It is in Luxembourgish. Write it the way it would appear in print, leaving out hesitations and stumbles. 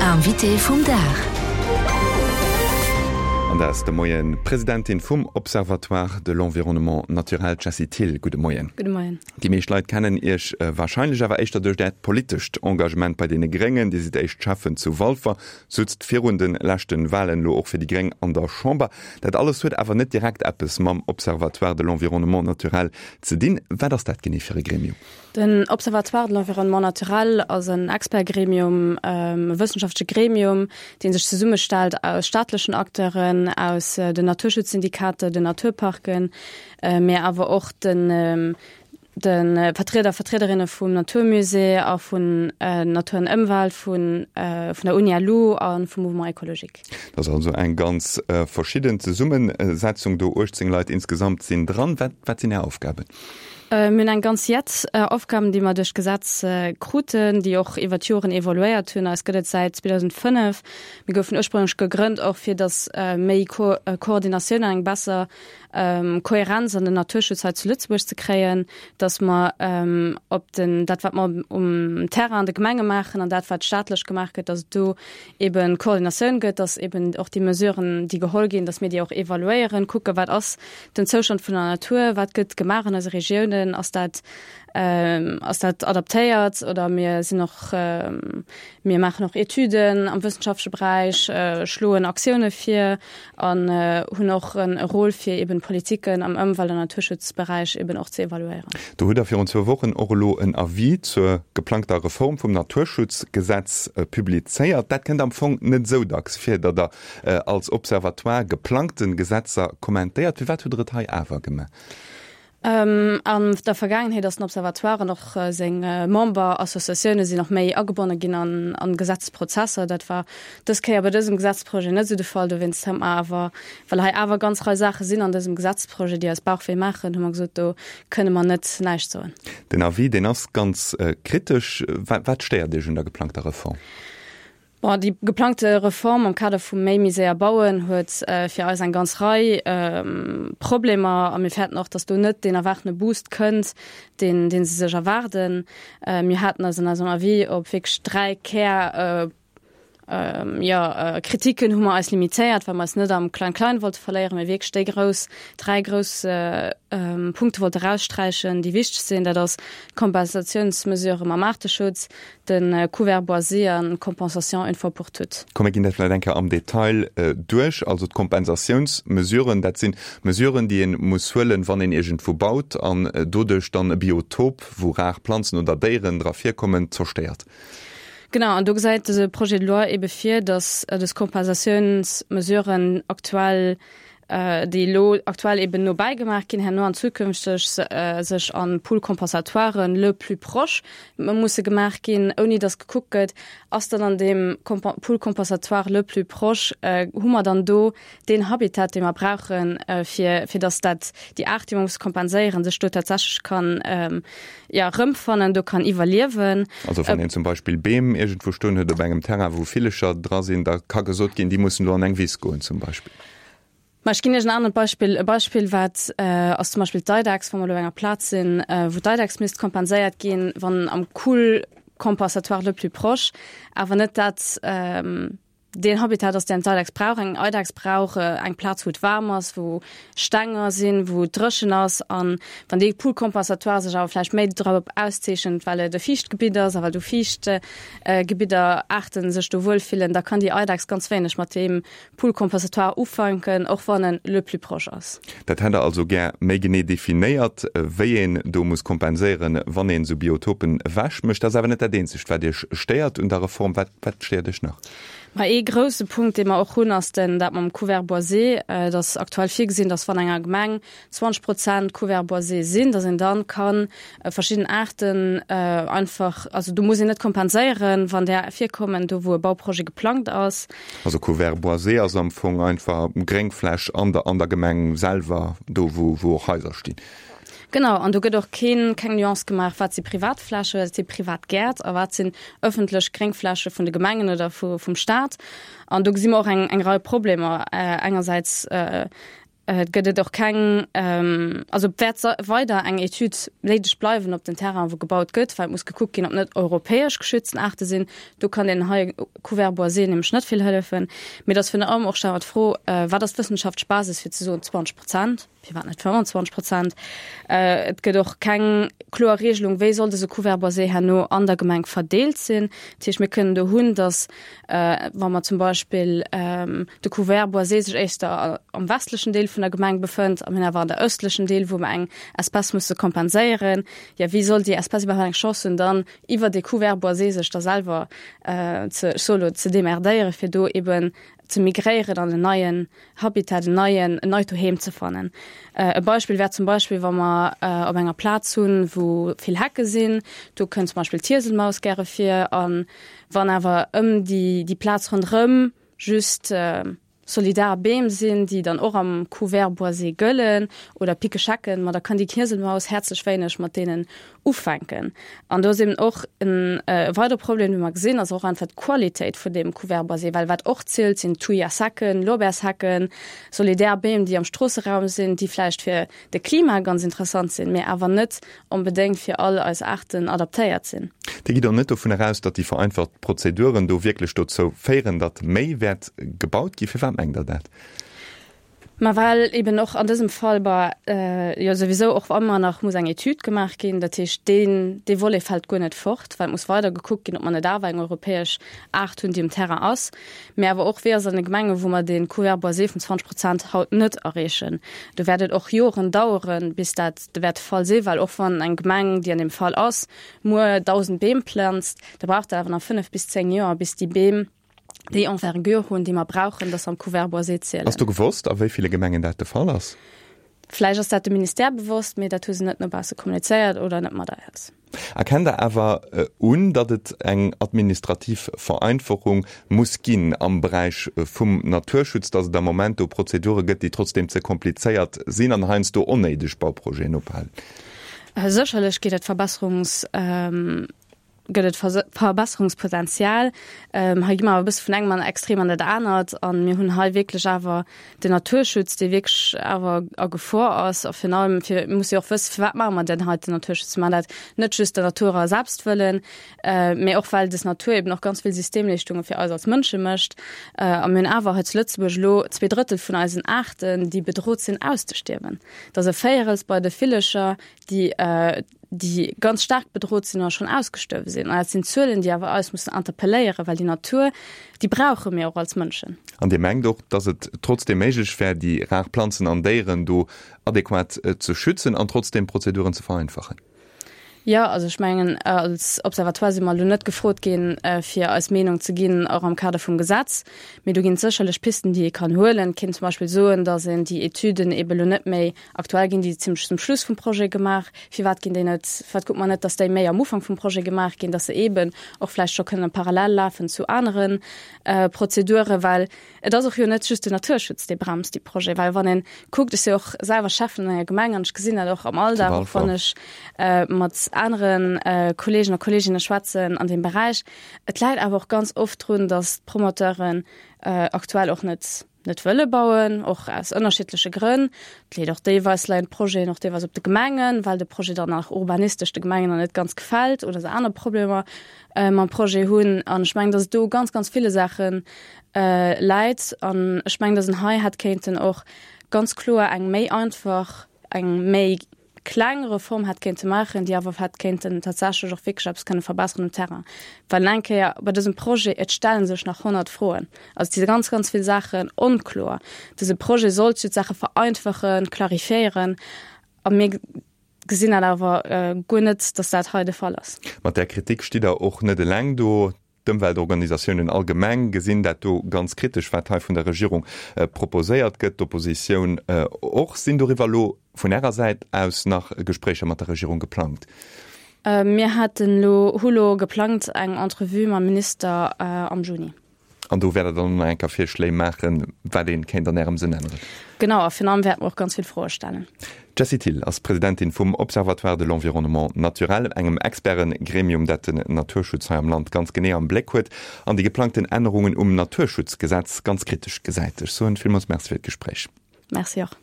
Invité vum Dag. An dat ass de Moien d'Presidentin vum Observatoire de l'environnement naturel, d'Jessie Thill. Gudde Moien. Gudde Moien. Déi meescht Leit kennen Iech warscheinlech awer éischter duerch Äert politescht Engagement bei deene Gréngen. Dir sidd éischt Schäffen zu Walfer, sutzt virun de leschten Walen elo och fir déi Gréng an der Chamber. Dat alles huet awer net direkt eppes mam Observatoire de l'environnement naturel ze dinn. Wat ass dat genee fir e Gremium? Den Observatoire de l'environnement naturel ass en Expertgremium, e wëssenschaftleche Gremium, dee sech zesummestellt aus staatlechen Acteuren, aus den Naturschutzsyndikater, den Naturparken, mee awer och de de Vertrieder a Vertriederinne vum Naturmusée a vun Natur an Ëmwelt, vun vun der Uni-LU a vum Mouvement écologique. Dat ass also eng ganz verschidden Zesummesetzung do. 18 Leit insgesamt sinn dran. Wat wat sinn Är Aufgaben? Mir hunn eng ganz Jett Aufgaben, déi mer duerch d'Gesetz kruten, déi och iwwer d'Joren evoluéiert hunn. Eis gëtt et säit 2005. Mir goufen ursprünglech gegrënnt och fir datt méi Koordinatioun an eng besser Kohärenz an den Naturschutz hei zu Lëtzebuerg ze kréien, datt mer op den, dat wat mer um Terrain an de Gemenge maachen an dat wat staatlech gemaach gëtt, datt et do eben Koordinatioun gëtt, datt eben och déi Mesuren, déi geholl ginn, datt mir déi och evaluéieren, kucken, wat ass Den Zoustand vun der Natur, wat gëtt gemaach an eise Regiounen, ass dat, ass dat adaptéiert oder mir sinn och, mir maachen och Etüden am wëssenschaftleche Beräich, schloen Aktioune vir an hunn och e Rôle fir eben d'Politiken am Ëmwelt an Naturschutzberäich eben och ze evaluéieren. Do hutt Der virun zwou Wochen och elo en Avis zur geplangter Reform vum Naturschutzgesetz publizéiert. Dat kënnt am Fong net esou dacks vir, datt Der als Observatoire geplangten Gesetzer kommentéiert. Firwat hutt Der et hei awer gemaach? An der Vergaangenheet ass den Observatoire an och seng Memberassociatioune sinn och méi agebonne ginn an Gesetzprozesser. Dat war dës Kéier bei dësem Gesetzprojet net esou de Fall. Dowéinst hu mer awer, well hei awer ganz Rei Saache sinn an dësem Gesetzprojet, déi eis Bauchwéi maachen, hu mer gesot, do kënne mer net näischt soen. Den Avis, deen ass ganz kritesch. Wat stéiert Iech un der geplangter Reform? Bon, déi geplangte Reform am Kader vum méi méi séier bauen huet fir eis eng ganz Rei Problemer a mir fäerten och, datt do net deen erwaartene Boost kënnt, deen dee se sech erwaarden. Mir haten eis an eisem Avis op wierklech 3 Kär, jo, Kritiken hu mer eis limitéiert, well mer eis net am Klein-Klein wollte verléieren, mee wierklech déi grouss, 3 grouss Punkte wollte eraussträichen, déi wichteg sinn. Dat ass d'Kompensatiounsmesurë mam Aarteschutz, De Couvert boisé an d'Compensation une fois pour toutes. Komm mir ginn dat vläicht eng Kéier am Detail duerch. Also d'Kompensatiounsmesuren, dat si Mesuren, déi ee muss huelen, wann een iergendwou baut an doduerch dann e Biotop, wou rar Planzen oder Déieren dra virkommen, zerstéiert. Genau, an do gesäit dëse Projet de loi eebe vir, datt dës Kompensatiounsmesuren aktuell déi elo aktuell eben no bäigemaach ginn, herno an zukünfteg sech an Pool-compensatoiren le plus proche musse gemaach ginn, ouni datt gekuckt gëtt, ass dann an deem Pool compensatoire le plus proche, hu mer dann do deen Habitat, dee mer brauchen, fir fir datt dat déi Aart, déi mer musse kompenséieren, sech do tatsächlech kann jo erëmfannen, do kann iwwerliewen. Also wann een zum Beispill Beem iergendwou stoen huet op engem Terrain, wou Villecher dra sinn, da ka gesot ginn, déi mussen do an eng Wiss goen zum Beispill. Ma ech ginn Iech en anert Beispill. E Beispill wat ass zum Beispill d'Eidechs, wa mer elo op enger Plaz sinn, wou d'Eidechs misst kompenséiert ginn, wann am Cool compensatoire le plus proche awer net dat deen Habitat ass, deen d'Eidechs brauch. Eng Eidechs brauch eng Plaz, wou et waarm ass, wou Stenger sinn, wou et dréchen ass. An wann dee Pool compensatoire sech awer vläicht méi drop auszeechent, well et e fiicht Gebitt ass a well do fiicht Gebidder Aarten sech do wuel fillen, da kann déi Eidechs ganz wéineg mat deem Pool compensatoire ufänken, och wann en le plus proche ass. Dat hätt Der also gär méi genee definéiert, wéi een do muss kompenséieren, wann een esou Biotopen ewech mécht. Dat ass awer net dat eenzegt, wat Iech stéiert un der Reform. Wat, wat stéiert Iech nach? Ma ee grousse Punkt, dee mer och hunn, ass den, dat mam Couvert boisé. Et ass aktuell virgesinn, dass wann enger Gemeng 20 Prozent Couverts boisés sinn, dass een dann kann verschidden Aarten einfach, also do muss een net kompenséieren, wann där virkommen, do wou e Bauprojet geplangt ass. Also Couvert boisé ass am Fong einfach Gréngfläch an der an der Gemeng selwer, do wou wou och Haiser stinn. Genau, an do gëtt och keen, keng Nuance gemaach, wat si Privatfläche, wat si privat Gäert a wat sinn ëffentlech Gréngfläche vun de Gemengen oder vu vum Staat. An do gesi mer och eng eng Rei Problemer. Engersäits. Et gëtt et och keng, also et wäert weider eng Etüd néideg bleiwen op den Terrainen, wou gebaut gëtt, well et muss gekuckt ginn, ob net europäesch geschützten Aarte sinn. Do kann deen hei Couvert boisé nämlech net vill hëllefen. Mee et ass virun allem och, stelle mer d'Fro, Wat ass d'wëssenschaftlech Basis fir ze soen 20 Prozent? Firwat net 25 Prozent? Et gëtt och keng kloer Regelung, wéi soll dëse Couvert boisé herno an der Gemeng verdeelt sinn. Dat heescht, mir kënnen do hunn, datt Wa mer zum Beispill de Couvert boisé sech éischter am westlechen Deel vun der Gemeng befënnt a mir hunn awer an der ëstlechen Deel, wou mer eng Espèce musse kompenséieren, jo wéi soll déi Espèce iwwerhaapt eng Chance hunn, dann iwwer dee Couvert boisé sech da selwer ze, ech soe lo, ze demerdéieren, fir do eben ze migréieren an en neien Habitat, en neien, en neit Doheem ze fannen. E Beispill wär zum Beispill, wa mer op enger Plaz hunn, wou vill Hecke sinn, do kënnt zum Beispill d'Hieselmaus gäre vir a Wann awer ëm déi, déi Plaz ronderëm just solidar Beem sinn, déi dann och am Couvert boisé gëllen, oder Pikeschecken, ma da kann déi Knieselmaus häerzlech wéineg mat deenen ufänken. An do ass eben och en weidere Problem, dee mer gesinn, ass och einfach d'Qualitéit vun deem Couvert boisé, well wat och zielt, sinn Thujasecken, Lorbeershecken, solidär Beem, déi am Stroosseraum sinn, déi vläicht fir de Klima ganz interessant sinn, mee awer net onbedéngt fir all eis Aarten adaptéiert sinn. Dir gitt och net dovun eraus, datt déi vereinfacht Prozeduren do wierklech dozou féieren, datt méi wäert gebaut ginn. Firwat mengt Der dat? Ma well eben och an dësem Fall, bah, jo souwisou och ëmmer nach muss eng Etüd gemaach ginn. Dat heescht, deen, dee Volet fält guer net fort, well et muss weider gekuckt ginn, ob mer net awer eng europäesch Aart hunn, déi um Terrain ass. Mä awer och, wéi ass et an de Gemengen, wou mer dee Couvert boisé vun 20 Prozent haut net erreechen. Do wäert et och Joren daueren, bis dat wäert de Fall sinn, well och wann eng Gemeng, déi an deem Fall ass, muer 1.000 Beem planzt, da brauch dat awer nach 5 bis 10 Joer, bis déi Beem déi Envergure hunn, déi mer brauchen, dass se am Couvert boisé zielen. Ass do gewosst, a wéi ville Gemengen dat de Fall ass? Vläicht ass dat dem Ministère bewosst, mee dat hu se net no bausse kommunizéiert oder net mat eis. Erkennt Der awer un, datt et eng administrativ Vereinfachung muss ginn am Beräich vum Naturschutz, datt et am Moment do Prozedure gëtt, déi trotzdeem ze komplizéiert sinn an heiansdo onnéideg Bauprojeten ophalen? Sécherlech gétt et Verbesserungs. Gëtt et Verbesserungspotenzial. Hei gi mer awer e bësse vun engem an Extrem an dat anert. A mir hunn hei wierklech awer den Naturschutz, dee wierklech awer a Gefor ass. A virun allem, fir, mir musse jo och wëssen, firwat maache mer denn hei den Naturschutz? Mir maachen dat net just der Natur a selbst wëllen, mee och well des Natur eben och ganz vill Systemleeschtunge fir eis als Mënsche mécht. A mir hunn awer hei zu Lëtzebuerg elo 2/3 vun eisen Aarten, déi bedrot sinn auszestierwen. Dat ass e Véierels bei de Villecher, déi, déi ganz staark bedrot sinn oder schonn ausgestuerwe sinn. An dat sinn Zuelen, déi awer eis mussen interpelléieren, well déi Natur, déi brauche mir och als Mënschen. An Dir mengt och, dass et trotzdeem méiglech wär, déi rar Planzen an Déieren do adequat ze schützen an trotzdeem d'Prozeduren ze vereinfachen? Jo, also ech mengen, als Observatoire si mer elo net gefrot ginn, fir eis Meenung ze ginn, och am Kader vum Gesetz. Mee do ginn et sécherlech Pisten, déi ee kann huelen. Et kéint zum Beispill soen, dass een déi Etüden eebe elo net méi Aktuell ginn déi zimlech zum Schluss vum Projet gemaach. Firwat ginn déi net, firwat kuckt mer net, dass déi méi am Ufank vum Projet gemaach ginn, dass se eeben och vläicht scho kënnen parallel lafen zu anere Prozeduren? Well et ass och jo net just den Naturschutz, dee bremst déi Projet. Well wann ee kuckt, ech si och selwer Schäffen an enger Gemeng an ech gesinn dat och am Alldag, och wann ech mat anere Kollegen a Kolleginne schwätzen an deem Beräich, et läit awer och ganz oft drun, dass d'Promoteuren aktuell och net, net wëlle bauen, och aus ënnerschiddleche Grënn. Et leet och deelweis, leien d'Projeten och deelweis op de Gemengen, well de Projet dann nach urbanistesch de Gemengen nach net ganz gefält oder se aner Problemer mam Projet hunn. An ech mengen, datt et do u ganz, ganz ville Saache läit. An ech mengen, datt een hei hätt kéinten och ganz kloer eng méi einfach, eng méi kleng Reform hätt kéinte maachen, déi awer hätt kéinten tatsächlech och wierklech eppes kënne verbesseren um Terrain. Well eng Kéier bei dësem Projet, et stelle sech nach 100 Froen. Also et si ganz, ganz vill Saachen onkloer. Dëse Projet sollt jo d'Saache vereinfachen, clarifiéieren a mir gesinn dat awer guer net, datt dat hei de Fall ass. Mat där Kritik stitt Der och net eleng do. D'Ëmweltorganisatiounen allgemeng gesinn dat do ganz kritesch, wat hei vun der Regierung proposéiert gëtt. D'Oppositioun och. Sinn doriwwer elo vun Ärer Säit aus nach Gespréicher mat der Regierung geplangt? Mir haten elo, hu lo geplangt eng Entrevue mam Minister am Juni. An do wäert Der dann och nach eng Kéier Virschléi maachen, wat ee kéint an Ärem Sënn änneren? Genau, a virun allem wäerte mer och ganz vill Froe stellen. D'Jessie Thill ass Presidentin vum Observatoire de l'environnement naturel, engem Experten-Gremium, dat den Naturschutz hei am Land ganz genee am Bléck huet an déi geplangten Ännerungen um Naturschutzgesetz ganz kritesch gesäit. Ech soen villmools Merci fir d'Gespréich. Merci och.